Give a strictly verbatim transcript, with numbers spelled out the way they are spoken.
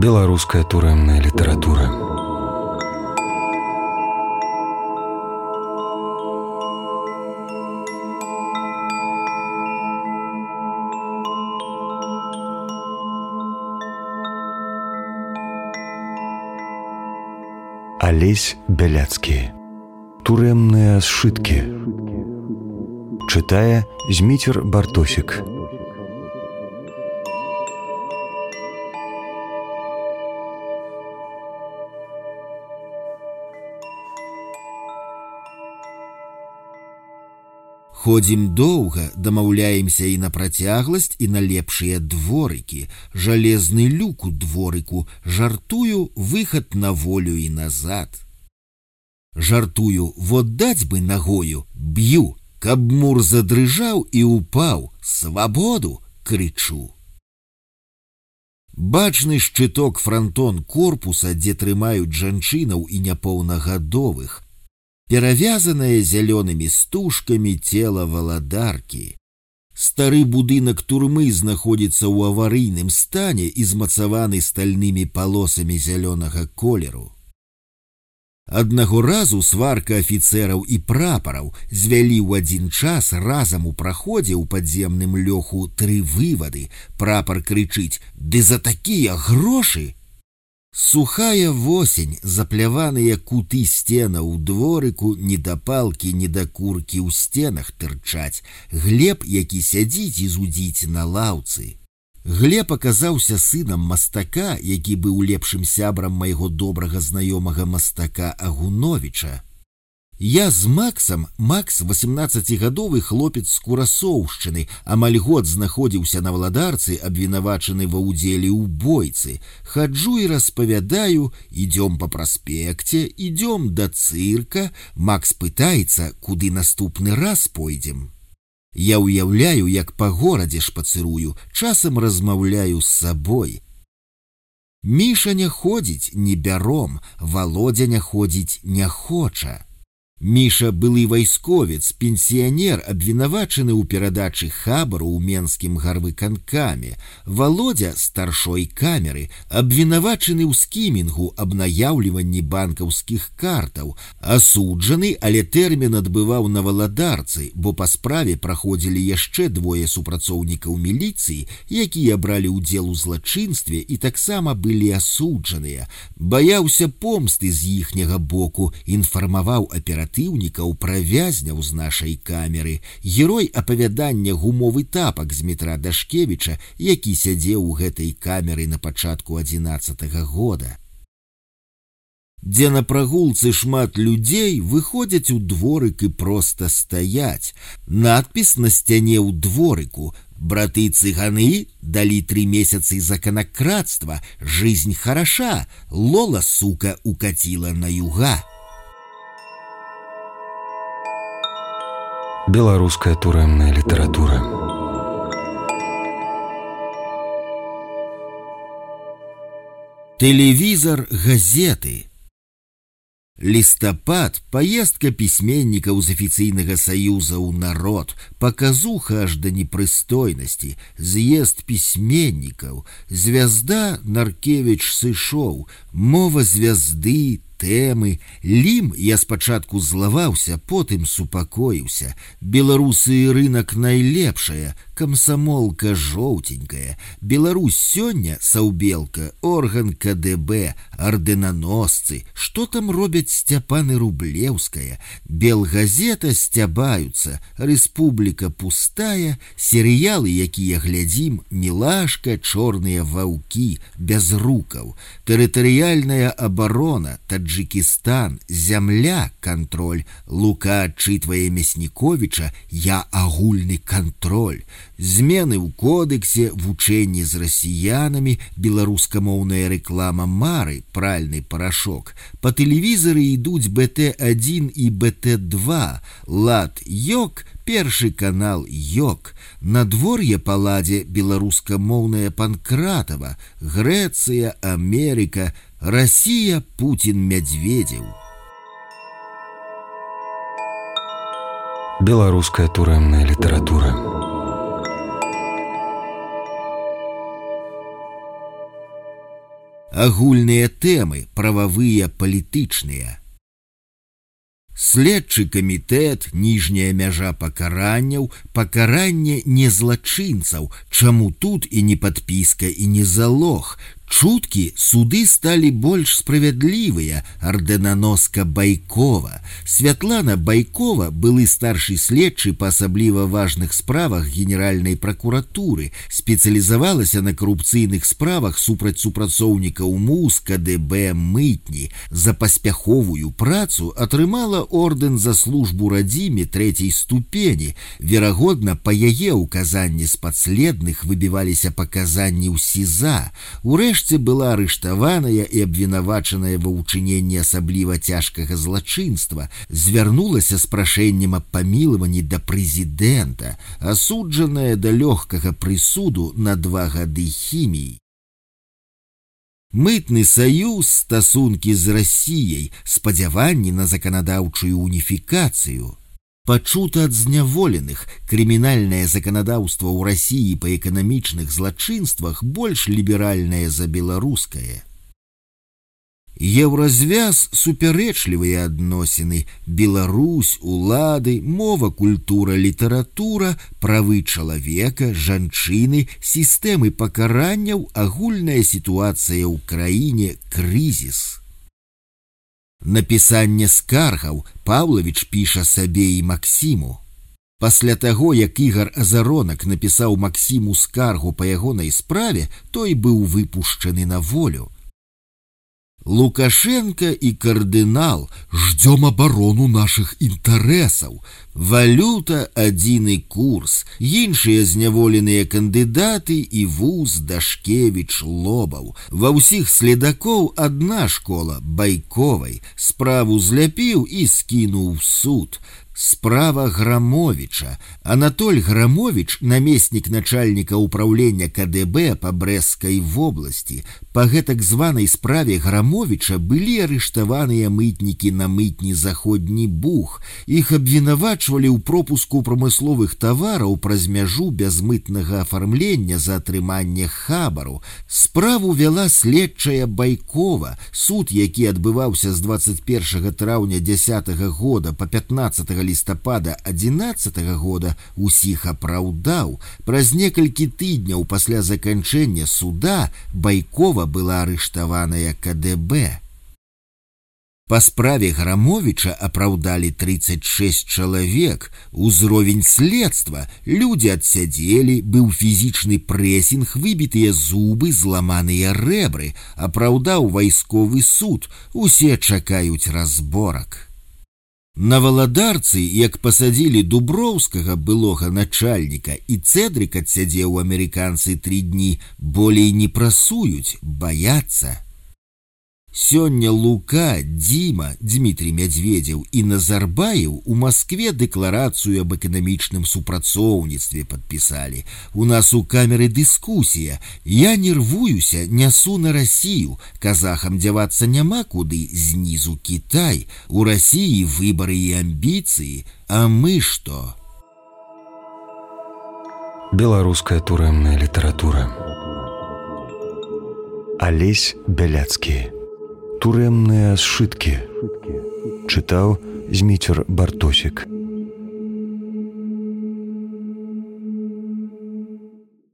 Беларуская турэмная літаратура. Алесь Бяляцкі. Турэмныя сшыткі. Чытае Зміцер Бартосік. Ходзім доўга, дамаўляемся і на працягласць, і на лепшыя дворыкі. Жалезны люк у дворыку, жартую, выхад на волю і назад. Жартую, вот даць бы нагою, б'ю, каб мур задрыжаў і упаў, свабоду, крычу. Бачны шчыток франтон корпуса, дзе трымаюць жанчынаў і няпоўнагадовых, перавязанае зялёнымі стужкамі цела валадаркі. Стары будынак турмы знаходзіцца ў аварыйным стане і змацаваны стальнымі палосамі зялёнага колеру. Аднаго разу сварка афіцэраў і прапараў звялі ў адзін час разам у праходзе ў падземным лёху тры вывады. Прапар крычыць: «Ды за такія грошы!» Сухая восень, запляваныя куты сцена ў дворыку, недапалкі, недакуркі ў сценах тырчаць. Глеб, які сядзіць і зудзіць на лаўцы. Глеб аказаўся сынам мастака, які быў лепшым сябрам майго добрага знаёмага мастака Агуновіча. Я з Максам, Макс восемнаццацігадовы хлопец з Курасоўшчыны, амаль год знаходзіўся на валадарцы, абвінавачаны ва ўдзеле ў бойцы. Хаджу і распавядаю, ідём па праспекце, ідём да цырка. Макс пытаецца, куды наступны раз пойдзем. Я ўяўляю, як па горадзе шпацырую, часам размаўляю з сабой. Міша не ходзіць, не бяром, Володя не ходзіць, не хоча. Міша былы вайсковец, пенсіянер, абвінавачаны ў перадачы хабару ў менскім гарвыканкаме. Володя старшой камеры, абвінавачаны ў скімінгу, аб наяўліванні банкаўскіх картаў. Асуджаны, але тэрмін адбываў на валадарцы, бо па справе праходзілі яшчэ двое супрацоўнікаў міліцыі, якія бралі ўдзел у злачынстве і таксама былі асуджаныя. Баяўся помсты з іхняга боку, інфармаваў аператыўнікаў пра вязняў з нашай камеры. Герой апавядання «Гумовы тапак» з метра Дашкевіча, які сядзеў у гэтай камеры на пачатку адзінаццатага года. Дзе на прагулцы шмат людзей, выходзяць у дворык і проста стаяць. Надпіс на сцяне ў дворыку: «Браты цыганы далі три месяцы за конократство, жизнь хороша, Лола, сука, укатила на юга». Беларуская турэмная літаратура. Тэлевізар, газеты. Лістапад, паездка пісьменнікаў з афіцыйнага саюза ў народ, паказуха аж да непрыстойнасці, з'езд пісьменнікаў, звязда Наркевіч сышоў, мова звязды, тэмы, лім я спачатку злаваўся, потым супакоіўся. Беларусы рынак найлепшая, камсамолка жоўтенькая. Беларусь сёння саўбелка, орган ка дэ бэ, ардэнаносцы. Што там робяць Сцяпаны Рублеўская? Белгазета сцябаюцца, рэспубліка пустая, серыялы, якія глядзім, мілашка, чорныя ваўкі, бязрукаў, тэрытарыяльная абарона, Таджикистан, зямля, контроль. Лука отчитывая Мясніковіча, я агульны контроль. Змены ў кодексе, вучэнні з расіянамі, беларускамоўная рэклама Мары, пральны парашок. Па тэлевізары ідуць бэ тэ адзін і бэ тэ два. Лад ёк, першы канал ёк. Надвор'е па ладзе беларускамоўная Панкратава. Грэцыя, Амерыка, Россия, Путин, Медведев. Беларуская турэмная літаратура. агульныя тэмы, прававыя, палітычныя. Следчы камітэт, ніжняя мяжа пакаранняў, пакаранне незлачынцаў, чаму тут і не падпіска, і не залог. Чуткі суды сталі больш справядлівыя, арденаноска Байкова. Святлана Байкова, былы старшы следчы па асабліва важных справах генеральнай пракуратуры, спецыялізавалася на карупцыйных справах супраць супрацоўнікаў МУС, КДБ, мытні. За паспяховую працу атрымала ордэн за службу радзіме трэцяй ступені. Верагодна, па яе ўказанні з падследных выбіваліся паказанні ў СІЗА. Урэшце была арыштаваная і абвінавачаная ва ўчыненні асабліва цяжкага злачынства, звярнулася з прашэннем аб памілаванні да прэзідэнта, асуджаная да лёгкага прысуду на два гады хіміі. Мытны саюз, стасункі з Расіяй, спадзяванні на заканадаўчую уніфікацыю. Пачута ад зняволеных, крымінальнае заканадаўства ў Расіі па эканамічных злачынствах больш ліберальнае за беларускае. Еўразвяз – супярэчлівыя адносіны, Беларусь, улады, мова, культура, літаратура, правы чалавека, жанчыны, сістэмы пакаранняў, агульная сітуацыя ў краіне, крызіс. Напісанне скаргаў Паўлавіч піша сабе і Максіму. Пасля таго, як Ігар Азаронак напісаў Максіму скаргу па ягонай справе, той быў выпушчаны на волю. Лукашенко і кардынал, ждем абарону нашых інтарэсаў. Валюта – адзіны курс, іншыя зняволеныя кандыдаты і вуз, Дашкевіч, Лобаў. Ва ўсіх следакоў адна школа – Байковай. Справу зляпіў і скінуў в суд. Справа Грамовича. Анатоль Грамович, намеснік начальніка ўпраўлення КДБ па Брэсцкай вобласці. Па гэтак званай справе Грамовича былі арыштаваныя мытнікі на мытні Заходні Буг. Іх абвінавачвалі ў пропуску прамысловых тавараў праз мяжу без мытнага афармлення за атрыманне хабару. Справу вяла следчая Байкова. Суд, які адбываўся з дваццаць першага траўня дзясятага года па пятнаццатага лістапада адзінаццатага года, усіх апраўдаў. Праз некалькі тыдняў пасля заканчэння суда Байкова была арыштаваная КДБ. Па справе Грамовича апраўдалі трыццаць шэсць чалавек. Узровень следства. Людзі адсядзелі, быў фізічны прэсінг, выбітыя зубы, зламаныя рэбры. Апраўдаў вайсковы суд. Усе чакаюць разборак. На Валадарцы, як пасадзілі Дуброўскага, былога начальніка, і Цэдрык адсядзеў амерыканцы тры дні, болей не прасуюць, баяцца. Сёння Лука, Дзіма, Дмітрий Мядзведзеў і Назарбаев у Маскве дэкларацыю аб эканамічным супрацоўніцтве падпісалі. У нас у камеры дыскусія. Я нервуюся, нясу на Расію. Казахам дзявацца няма куды, знізу Кітай. У Расіі выбары і амбіцыі. А мы што? Беларуская турэмная літаратура. Алесь Бяляцкі. Турэмныя сшыткі. Чытаў Зміцер Бартосік.